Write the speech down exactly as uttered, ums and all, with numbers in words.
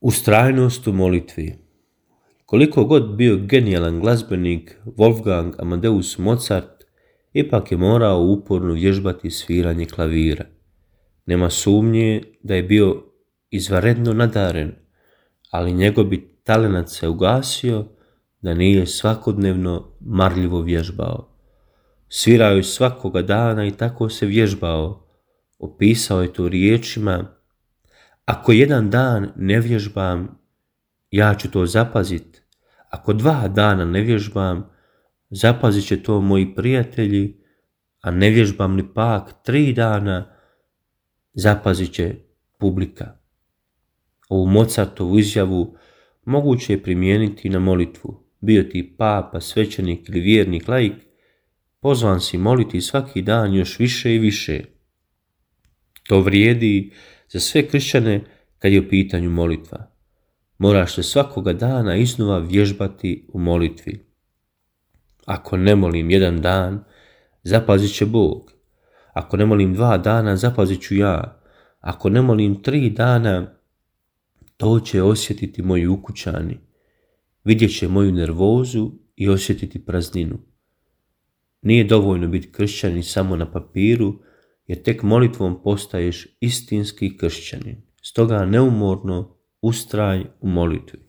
Ustrajnost u molitvi. Koliko god bio genijalan glazbenik Wolfgang Amadeus Mozart, ipak je morao uporno vježbati sviranje klavira. Nema sumnje da je bio izvanredno nadaren, ali njegov bi talenat se ugasio da nije svakodnevno marljivo vježbao. Svirao je svakoga dana i tako se vježbao. Opisao je to riječima: ako jedan dan ne vježbam, ja ću to zapazit. Ako dva dana ne vježbam, zapazit će to moji prijatelji, a ne vježbam ni pak tri dana, zapazit će publika. Ovu Mozartovu izjavu moguće je primijeniti na molitvu. Bio ti papa, svećenik ili vjernik laik, pozvan si moliti svaki dan još više i više. To vrijedi za sve kršćane kad je u pitanju molitva. Moraš se svakoga dana iznova vježbati u molitvi. Ako ne molim jedan dan, zapazit će Bog. Ako ne molim dva dana, zapazit ću ja. Ako ne molim tri dana, to će osjetiti moji ukućani. Vidjet će moju nervozu i osjetiti prazninu. Nije dovoljno biti kršćanin samo na papiru, jer tek molitvom postaješ istinski kršćanin. Stoga neumorno ustraj u molitvi.